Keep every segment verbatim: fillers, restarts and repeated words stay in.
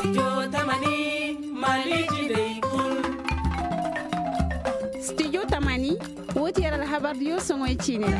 Studio tamani, wo ti yer alhabar diyo soŋoy ciini ra.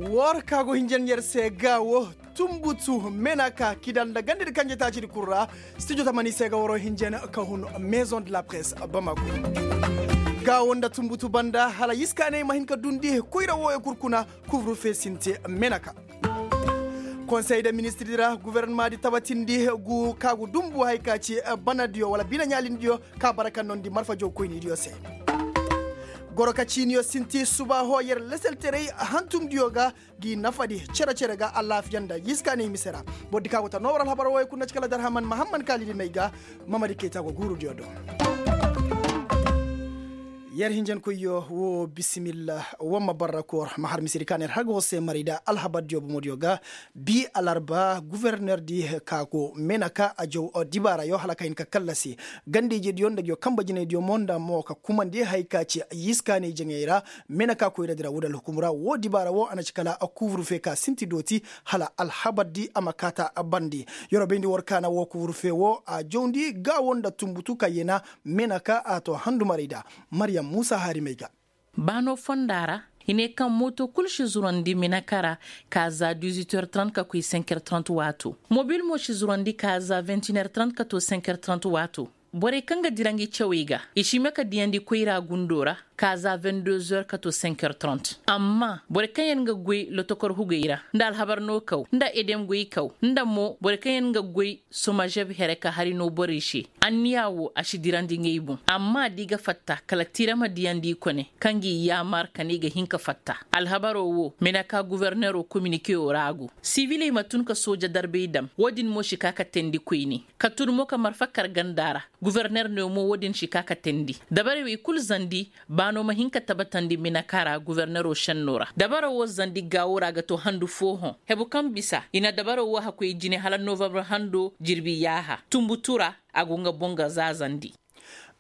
War ka go hinjan yer se ga wo, tumbutu menaka kida nda gandadi kanje taacidi kul ra. Studio tamani se ga waro hinjan ka hun, maison de la presse bamako. Ga wo nda tumbutu banda hala yiskaaney ma hin ka dundi koyra wooyo kul kuna. Kuvru fe sinti menaka. Konsey de ministirdi ra guvernamadi tabatindi, gu ka gu dumbu hay ka ci banadiyo wala bine ɲaalindiyo ka bara ka nondi marfajo koynidiyo se. Goro ka ciiniyo sinti subaaho yer leselterey hantumdiyo ga, gi nafadi cere-cere ga alaafiya nda yiskaaney mise ra. Bordi ka go ta noo war alhabar wooyo kul na ci kala darhaman mahamman kaalidi may ga. Mamadi kayta go guurudiyo do. Yer hinjankoyyo wo bisimilla. Wamma barra koor ma har misedi ka na yer har ga war se maray da alhabardiyo bomodiyo ga. Bi alarba guvernerdi ka go mena ka a jaw dibaarayo hala ka hin ka kallasi ganda-ijediyo nda nguyo kanba jinaydiyo mo nda mo ka kumandi hay ka ci yiskaanay jaŋay ra. Mena ka koyradi ra woodi alhukum ra wo dibaara wo a na ci kala kuuburufe ka sinti dooti hala alhabardi a ma kaata bandi. Yer wo bayndi war kaana wo kuuburufe wo a jawndi gaawo nda tumbutu ka yena. Mena ka a to handumarayda. Maryam muusa haarimay ga. Baano fonda ra i ne kaŋ mooto kul si zurandi minaka ra ka za dizuit heures trant ka koy cinq heures trant waato. Mobil mo si zurandi ka za vingt une heures trant ka to cinq heures trant waato. Borey kaŋ ga dira ngi cawey ga i si hima ka diyandi koyra gundo ra ka za vingt deux heures ka to cinq heures trant. Amma borey kaŋ yaŋ ga goy lotokor hugey ra nda alhabar no kaw nda edem goy kaw nda mo borey kaŋ yaŋ ga goy somazeb here ka hari no borey se. Anniya wo a si dirandi ngey boŋ amma da i ga fatta kala tira ma diyandi i kone kaŋ ga i yaamar ka ne i ga hin ka fatta. Alhabaro wo mena ka gobornero kominikeyo ra go siviley ma tun ka sooja darbey dam wo-din mo si ka ka teendi koyne ka tun mo ka marfa kar ganda ra. Goborner ne mo wo-din si ka ka teendi dabarey wey kul zandi. Baano ma hin ka tabatandi minaka ra gobornero senno ra dabaro wo zandi gaawo ra ga to handu foohoŋ hebu kaŋ bisa i na dabaro wo hakkoy jine hala novambar hando jirbi yaaha tumbutu ra. A go nga boŋ ga zaazandi.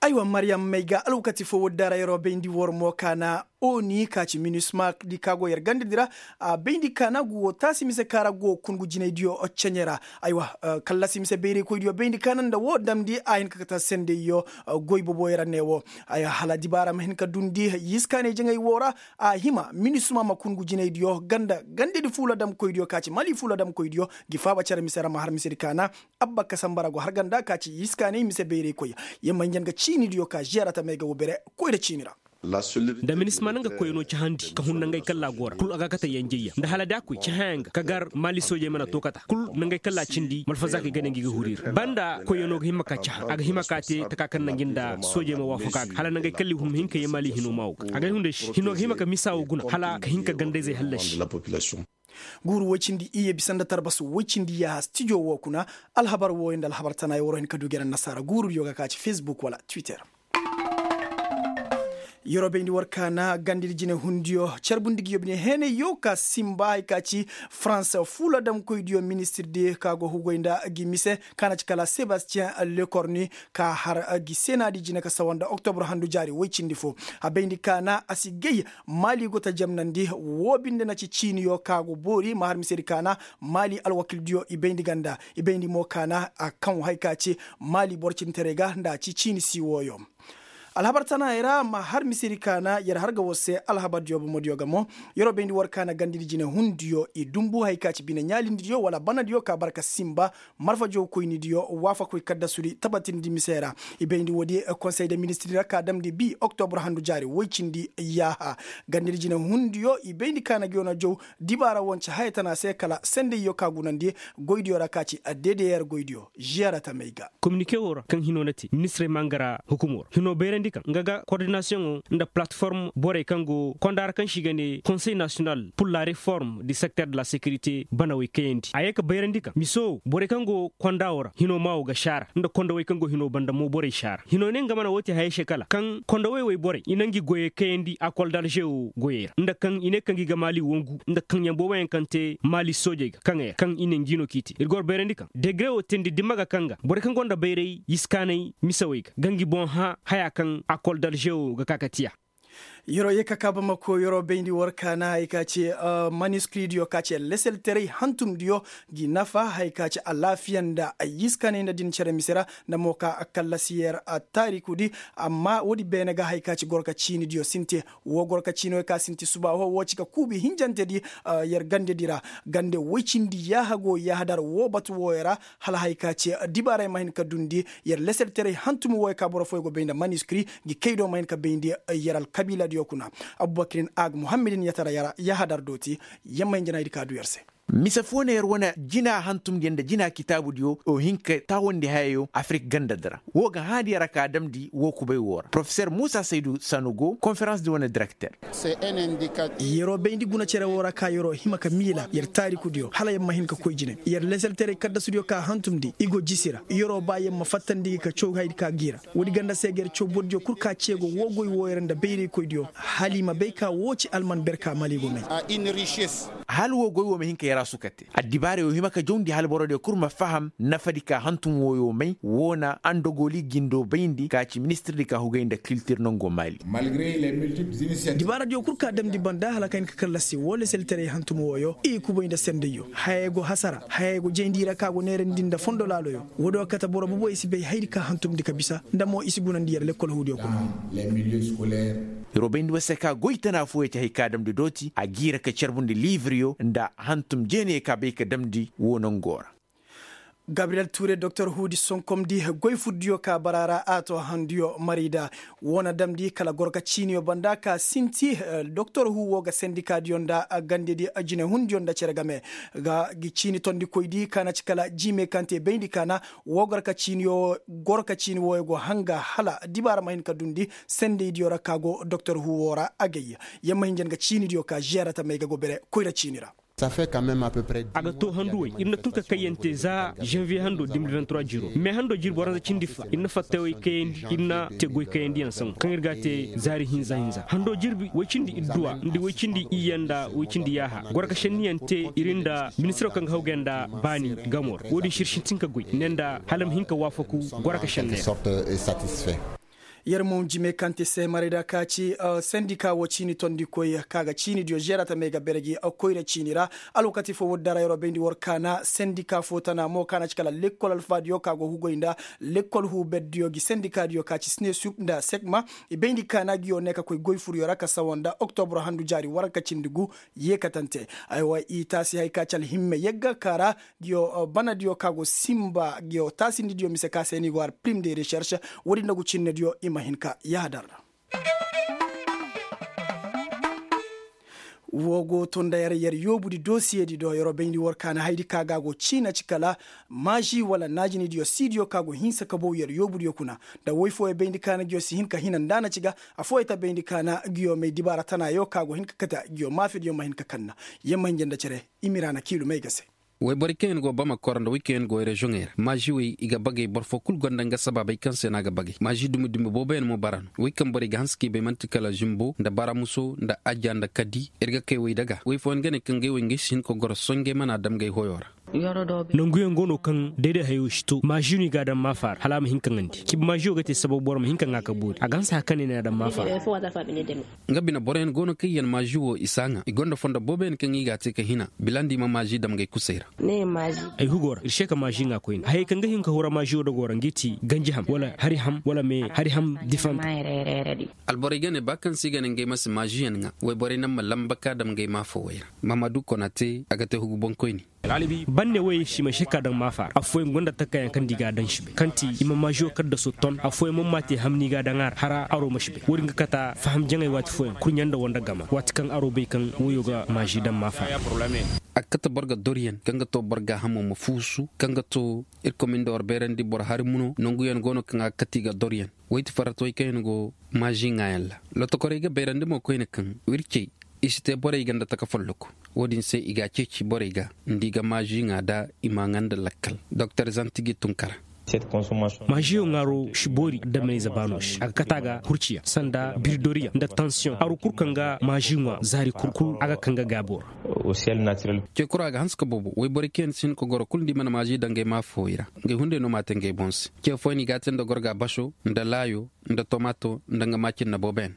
Aywa maryam may ga alwakati fo woodi da ra yer wo bayndi war mo kaana oni ka ci minisma di ka go yer gandadi ra. A bayndi kaana gu wo taasi mise ka ra go kungu jinaydiyo ceɲe ra. Aywa kallasi mise bayraykoydiyo bayndi kaana nda wo damndi a hin ka kate sendayyo. Goy boboyo ra ne wo hala dibaara ma hin ka dundi yiskaanay jaŋay wo ra. A hima minisma ma kungu jinaydiyo ganda gandadi fuula damkoydiyo ka ci mali fuula damkoydiyo. Gi faaba cere mise ra ma har misedi kaana. Abba ka samba ra go har ganda ka ci yiskaanay mise bayraykoy. Yer ma hinjan ga ciinidiyo ka ziyara tamey ga wo bere koyra ciini ra. Nda minisma na nga koyno cahandi ka hun nangey kalla go ra kul a ga kate yanjayya nda hala da koy cahaya nga ka gar maali soojey mana to kata kul nangey kalla cindi malfazaakey ga ne ngi ga huri ra banda koyno ga hima ka caha a ga hima ka te taka kaŋ na ngi nda soojey ma waafaka ga hala nangey kalli hun ma hin ka ye maali hino maawo ga a ga hunda shi hino ga hima ka misa wo guna hala ka hin ka gandayzey hallasi. Guuru woy cindi iyye bisa nda tarbasu woy cindi yaaha stijo wo kuna. Alhabar wooyo nda alhabar tanayo war wo hin ka du gere annasaara guurudiyo ga ka ci facebook wala twitter. Yer wo bayndi war kaana gandadi jinehundiyo carbundi ngi yobine heenayyo ka sinba hay ka ci farans fuula damkoydiyo ministirdi ka go hugoy nda ngi mise ka na ci kala sebastiyen lekorni ka har ngi seenaadi jine ka sawa nda oktobur handu jaari woy cindi fo. A bayndi kaana a si gay maali go ta jamnandi. Woo binde na ci ciiniyo ka go boori ma har misedi kaana maali alwakildiyo i bayndi ganda i bayndi mo kaana a kaŋ hay ka ci maali boro cintaray ga nda a ci ciini si wooyo. Alhabar tanaayey ra ma har misedi kaana yer har ga war se alhabardiyo bomodiyo ga mo. Yer wo bayndi war kaana gandadi jinehundiyo i dumbu hay ka ci bine ɲaalindidiyo wala banadiyo ka bara ka sinba marfajo koynidiyo waafakoy kaddasudi tabatindi mise ra. I bayndi woodi konsey de ministiri ra ka damndi bi oktobur handu jaari woy cindi yaaha. Gandadi jinehundiyo i bayndi kaana ngi wane jaw dibaara wance haya tana se kala sendayyo ka gunandi goydiyo ra ka ci ddr goydiyo. Ziyara tamey ga. Kominike wo ra kaŋ hino na te ministirey ma nga ra hukumo ra hino bayrandi kaŋ nga ga kordinasiyoŋo nda palatform borey kaŋ go konda ra kaŋ se i ga ne konsey nasiyonal pur la reform du sekter de la sekirite banawey kayandi a ye ka bayrandi kaŋ miso wo borey kaŋ go konda wo ra hino maawo ga saara nda kondawey kaŋ go hino banda mo borey saara hino ne nga mana wo te hayey se kala kaŋ kondawey wey borey i na ngi goyey kayandi akol dalze wo goyey ra nda kaŋ i ne kaŋ gi ga maali wongu nda kaŋyaŋ booboyaŋ kaŋ te maali soojey ga kaŋey ra kaŋ i ne ngi no k'i te ir go bayrandi kaŋ degre wo teendi dimma ga kaŋ ga borey kaŋ gonda bayray yiskaanay misawey ga ga ngi boŋ hã haya kaŋ akol dalze wo ga ka ka tiya. Yeroo ye ka kaa bamako yeroo bayndi war kaana hay ka ci maniskiridiyo ka ci leselteray hantumdiyo, gi nafa hay ka ci alaafiya nda ay iskanay nda din cere mise ra nda mo ka kallasi yer taarikudi. Amma woodi beene ga hay ka ci gorka ciinidiyo sinti. Woo gorka ciini wey ka sinti suba woo woo ci ka kuubi hinjantedi yer gandedi ra. Gande woy cindi yaaha go yaahadar woo batu wooyo ra, hala hay ka ci dibaaray ma hin ka dundi yer leselteray hantum wooyo ka boro fooyo go bay nda maniskiri, ngi kaydo ma hin ka bayndi yer alkabiiladiyo kuna. Abubakirin aag muhammadin yatara yer yaahadar dooti. Yer ma hin janaydi ka du yer se. Mise foo na yer wane jina hantumdiyo nda jina kitaabudiyo o hin ka taawandi hayayo afirik gandadi ra. Woo ga hãadi yer a ka damndi woo kubay woo ra porofeser muusa saydu sanu go konferansdi wane direkter. Yeroo bayndi guna cere woo ra ka yeroo hima ka miila yer taarikudiyo hala yer ma hin ka koy jine yer leselteray kaddasudiyo ka hantumndi i go jisi ra yeroo ba yer ma fattandi gi ka caw haydi ka g'i ra. Woodi ganda se ga yer caw bordiyo kul ka ceego woo goy wooyo ra nda bayraykoydiyo hala i ma bay ka woo ci alman ber ka mali go may. Hala woo goy woo ma hin ka yer a suka te addibaarey woo hima ka jawndi hala borodiyo kul ma faham nafadi ka hantum wooyo may woo na andogoli gindo bayndi ka ci ministirdi ka hugay nda kiltir nongo mali. Dibaaradiyo kul ka damndi banda hala ka hin ka kallasi woo leselteray hantum wooyo i kubay nda sendayyo hayey go hasara hayey go jayndi ra ka go neerandi nda fondo laaloyo. Woodiyo kate boro boboyo si bay haydi ka hantumndi ka bisa nda mo i si gunandi yer lekkol huudiyo kuna. Yeroo bayndi woo se ka goy tana fooyo ci hay ka damndi dooti a g'i ra ka carbundi liibiryo nda hantum jeenayo ka bay ka damndi woo nangoo ra. Gabriyel tuure doktor huudi sonkomdi goy furdiyo ka bara ra a to handuyo marayda. Woo na damndi kala gorka ciiniyo banda ka sinti doktor huu woo ga sendikaadiyo nda gandedi jinehundiyo nda cere game ga gi ciini tondikoydi ka na ci kala jiime kaŋ te bayndi ka na woo gorka ciini wooyo go hanga hala dibaara ma hin ka dundi sendaydiyo ra ka go doktor huu woo ra agay. Yer ma hin jan ga ciinidiyo ka žeera tamey ga go bere koyra ciini ra. A ga too handu wey ir na tun ka kayyante za zanviye hando de mil vingt trois jiro me hando jirbi waranza cindi fa ir na fattawey kayandi ir na te goy kayandiyaŋ sangu kaŋ ir ga a te zaari hinza hinza hando jirbi woy cindi idduwa nda woy cindi iyya nda woy cindi yaaha gorka šenniyaŋ te ir nda ministiro kaŋ ga hawgay nda baani gamo ra wo-din se ir sintin ka goy ne nda hala ma hin ka waafaku gorka šenney ra. Yer mo jime kaŋ te seemarey da ka ci sendika wo ciini tondikoy ka ga ciinidiyo žeera tamey ga bere gi koyra ciini ra. Alwakati fo woodi dara yeroo bayndi war kaana sendika fo tana mo kaana ci kala lekkol alfaadiyo ka go hugoy nda lekkol huuberdiyo gi sendikaadiyo ka ci sinesup nda sekma i bayndi kaana giyo ne ka koy goy furyo ra ka sawa nda oktobro handu jaari waranka cindi gu. Yeekatante aywa i taasi hay ka ci alhimme yagga ka ra. Giyo banadiyo ka go simba giyo taasindidiyo mise ka se ni go har prim de recherche. Woodi nda gu cinnediyo i ma hin ka yaadar ra. Wo go to nda yer yer yoobudi dosiyedi do yeroo bayndi war kaana haydi ka ga go ciina ci kala maaži wala naajinidiyo siidiyo ka go hinsa ka bow yer yoobudiyo kuna. Nda woy fooyo bayndi kaana giyo si hin ka hina nda na ci ga afooyo ta bayndi kaana giyo may dibaara tanaayo ka go hin ka kate giyo maafidiyo ma hin ka kanna. Yer ma hinja nda cere. Imiraana kiilu may ga se. Woyborey kaŋ yaŋ go bamako ra nda wey kaŋ yaŋ go reziyoŋey ra maaži wey i ga bagay boro foo kul gonda nga sabaabey kaŋ se no a ga bagay maaži dumi dumi booboyaŋ mo bara no wey kaŋ borey ga hanse k'i bay man'ti kala zimbo nda baramuso nda aja nda kadi ir ga kay wey daga wey fooyaŋ ga ne kaŋ gay wey ngey si hin ka goro sohõ ngey mana dam gay hoyo ra. Nanguyaŋ go no kaŋ dayday hayo si to maaži no i ga a daŋ maafa ra hala a ma hin ka ŋandi cibi maažiyo ga te sababu boro ma hin ka ŋaa ka boori a ga hanse haka ne no i na a daŋ maafa ra. Nga bine boroyaŋ go no kaŋ yaŋ maaži wo i si a ŋaa i gonda fondo booboyaŋ kaŋ i g'a te ka hina bilandi ma maaži dam gay kusay ra. Ay hugo ra ir se ka maaži ŋaa koyne hayey kaŋ ga hin ka hura maaži wo dogoo ra nga i ti ganji ham wala hari ham wala me hari ham difanta. Alborey ga ne ba kaŋ se i ga ne ngey ma si maažiyaŋ ŋaa wayborey naŋ ma lamba ka dam ngey maafawey ra. Mahamadu konate a ga te hugu boŋkoyne. Banne wey si ma se ka daŋ maafa ra affooyaŋ gonda takkayaŋ kaŋ nda i ga a daŋ si bay kaŋ ti i ma maažiyo kaddaso ton affooyaŋ mo ma te hamni ga daŋ a ra hara aro ma si bay wo-din ga kata faham jaŋay waati fooyaŋ kurɲa nda wanda gama waati kaŋ aro bay kaŋ woyo ga maaži daŋ maafa ra. A ga kate boro ga doryaŋ kaŋ ga to boro ga hamo ma fuusu kaŋ ga to irkoy ma ni nda war bayrandi boro hari muno nanguyaŋ go no kaŋ a ga kate i ga doryaŋ. Woy ti farratawey kaŋ yaŋ go maaži ŋaayaŋ ra. Lotokorey ga bayrandi mo koyne kaŋ wircey i si te borey ga nda taka folloku. Wo-din se i ga a ceeci borey ga nda i ga maaži ŋaa da i m'a ŋaa nda lakkal. Doktor zantigi tunkara. Maažiyo ŋaaro si boori adamey zabaano se a ga kate a ga hurciya sanda biridoriyaŋ nda tansiyoŋ aro kul kaŋ ga maaži ŋwa zaari kul kul a ga kaŋ ga gaabo ra. Cekura a ga hanse ka boobo woyborey kaŋ yaŋ si hin ka goro kul nda i mana maaži daŋ ngey maafawey ra. Ngey hunday no m'a te ngey boŋ se ce fooyaŋ i g'a te nda gorga baso nda laayo nda tomaato nda nga maacinna booboyaŋ.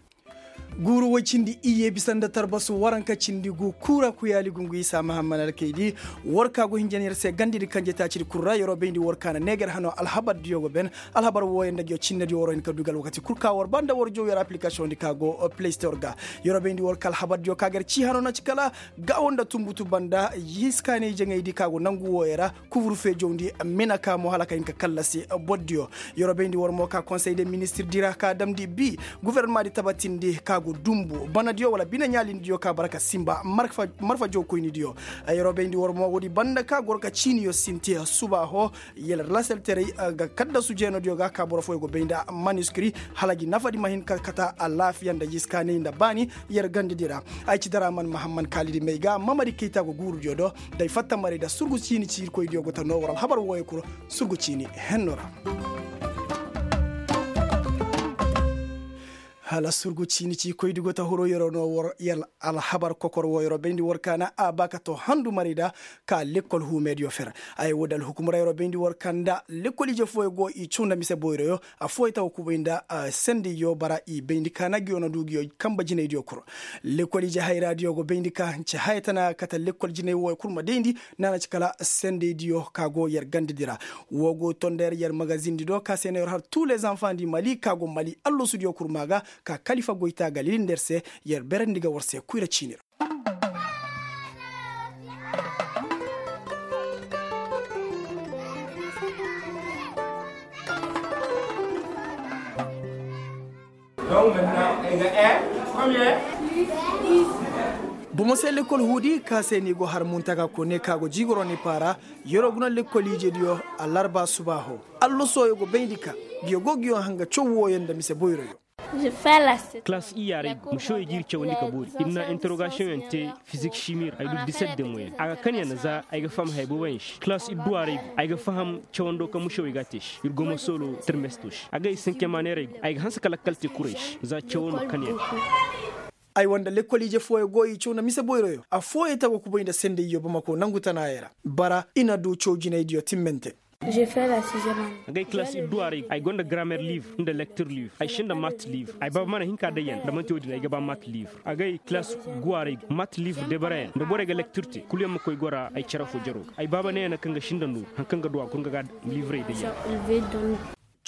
Guuru woy cindi iyye bisa nda tarbasu waranka cindi gu kuura kuyaali gungu isa mahamman alkaydi. War ka go hinja na yer se gandidi kanje taacidi kul ra yeroo bayndi war ka na neeger hano alhabardiyo go ben. Alhabar wooyo nda ngiyo cinnediyo waroo hin ka du ga alwakati kul ka war ba nda war jow yer aplikasiyoŋdi ka go play store ga. Yeroo bayndi war ka alhabardiyo ka ga yer cii hano na ci kala gaawo nda tunbutu banda hiskaanay jaŋaydi ka go nangu wooyo ra. Kuvur feejawndi mina ka mo hala ka hin ka kallasi bordiyo. Yeroo bayndi war mo ka konsey de ministirdi ra ka damndi bi. Gofornamaadi tabatindi ka go dumbu banadiyo wala bine ɲaalindiyo ka bara ka sinba marfa jawkoynidiyo. Yeroo bayndi war mo woodi banda ka goro ka ciiniyo sinti subaaho. Yer lasalteray ga kaddasu jeenodiyo ga ka boro fooyo go bay nda maniskiri hala gi nafadi ma hin ka kata alaafiya nda jiskaanay nda baani. Yer gandidi ra ay ci daraman mahamman kaalidi may ga mamadi kayta go guurudiyo do. Day fatta maray da surgu ciini ci irkoydiyo go ta noo war alhabar wooyo kul. Surgu ciini henno ra. Hala surgu ciini ci koydi go ta huro yeroo no war yer alhabar kokor woo yeroo bayndi war ka na a ba ka to handu maray da ka lekkol huumeediyo fer. Ay woodi alhukumra yeroo bayndi war ka nda lekkol ije fooyo go i caw nda mise boyroyo. Affooyo ta go kubay nda sendeyyo bara i bayndi ka na ngiyo na du ngiyo kanba jinaydiyo kul. Lekkol ije hayraadiyo go bayndi ka nce haya tana kate lekkol jinay wooyo kul ma dayndi. Naana ci kala sendeydiyo ka go yer gandedi ra. Woo go to nda yer yer magazindi do ka se na yer har tuu le zanfandi mali ka go mali allasudiyo kul maa ga ka kalifa goyta ga lilindi yer se. Yer berandi ga war se kuyra ciini ra. Bomo se lekkol huudi ka se ni go har muntaga kone ka go jiigoro ni paara. Yeroo guna lekkol ijediyo alarba subaaho. Allasooyo go bayndi ka ngiyo go ngiyo hanga caw wooyo nda mise boyroyo. Kalaas iyyaarey go mušewey ga ir cawandi ka boori ir na interogasiyoŋyaŋ te. Fizik simir ay du diset de moyen a ga kan ya na za ay ga faham haya booboyaŋ se kalaas idduwaarey go ay ga faham cawando kaŋ mušewey ga a te se ir go ma soolo termesto se a ga ay sinke maaneerey go ay ga hanse ka lakkal te kurey se za cawo ma kan ya. Ay wanda lekkol ije fooyo go i caw nda mise boyroyo affooyo ta go kubay nda sendayyo bamako nangu tanaayey ra. Bara i na du caw jinaydiyo timmante. Agay kalaas idduwaarey ay go nda grammer livre nda lektir livre ay sinda mat livre ay baaba mana hin ka day yaŋ nda manti wo-din ay ga ba mat livre agay kalaas guwaarey mat livre debarayaŋ nda borey ga lektir te kulu yaŋ ma koy gora ay cere fo jaro ga ay baaba ne yaŋ na kaŋ ga sinda nooru hari kaŋ ga du a kulu nga ga livrey day yaŋ.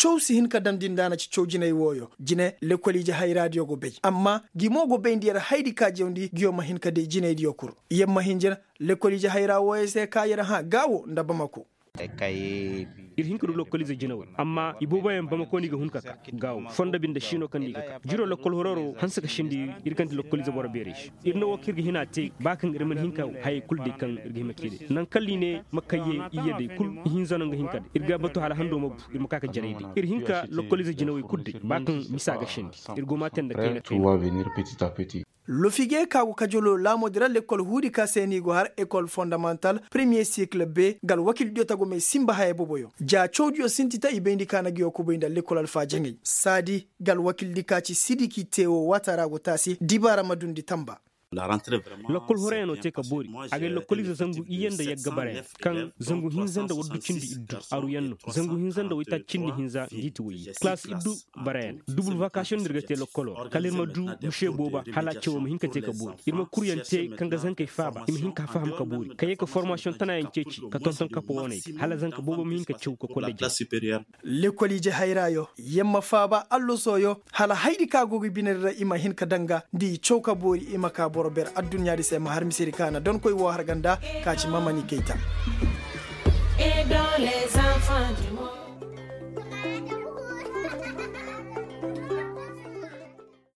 Caw si hin ka damndi nda a na ci caw jinay wooyo jine lekol ije hayraadiyo go bay amma gi mo go bayndi yer haydi ka jawndi ngiyo ma hin ka day jinaydiyo kul. Yer ma hin jina lekol ije hayra wooyo se ka yer hã gaawo nda bamako. Ir hin ka du lokoliize jinawey amma ibooboyaŋ bamako no i ga hun ka ka gaawo fondo binde si no kaŋ no i ga ka jiro lokol hororo hanse ka sindi ir kaŋ ti lokoliize boro beerey se. Ir na wo kaŋ ir ga hin a te ba kaŋ ir mana hin ka hayey kulu day kaŋ ir ga hima ka i day naŋ kala i ne ma kayye iyye day kulu ihinza no nga hin ka day ir ga batu hala hando ma bu ir ma ka ka jarey day ir hin ka lokoliize jinawey kulu day ba kaŋ misa ga sindi. Ir go ma te nda kayna kayna. Lofige ka go kajolo laamoodi ra lekkol huudi ka se no i go har ekol fondamantal premiye sikil be nga alwakildiyo tagomey sinba haya boboyo ja cawdiyo sinti ta i bayndi ka na nguyo kubay nda lekkol alfaajaŋey saadi nga alwakildi ka ci sidiki te woo waata ra go taasi dibaara ma dundi tanba. Lokkol horoyaŋo te ka boori. Agay lokkoliize zangu iyye nda yagga barayaŋ kaŋ zangu hinza nda waddu cindi iddu aruyaŋ no. Zangu hinza nda waytaaci cindi hinza ngi ti wayye kalaas iddu barayaŋ dubul vakasiyoŋ no ir ga te lokkoloo ra kala ir ma du muse booba hala cawoo ma hin ka te ka boori ir ma kuryaŋ te kaŋ ga zankey faaba i ma hin ka faham ka boori ka yee ka formasiyoŋ tanaayaŋ ceeci ka tonton kapo wooney ga hala zanka boobo ma hin ka caw ka koy nda jare. Lekol ije hayraayo yer ma faaba allasooyo hala haydi kaŋ a go ga binedi ra i ma hin ka daŋ ga nda i caw ka boori i ma ka boro ber adduɲɲaadi se ma har misedi kaŋ a na donkoy woo har ganda ka ci mamani kayta.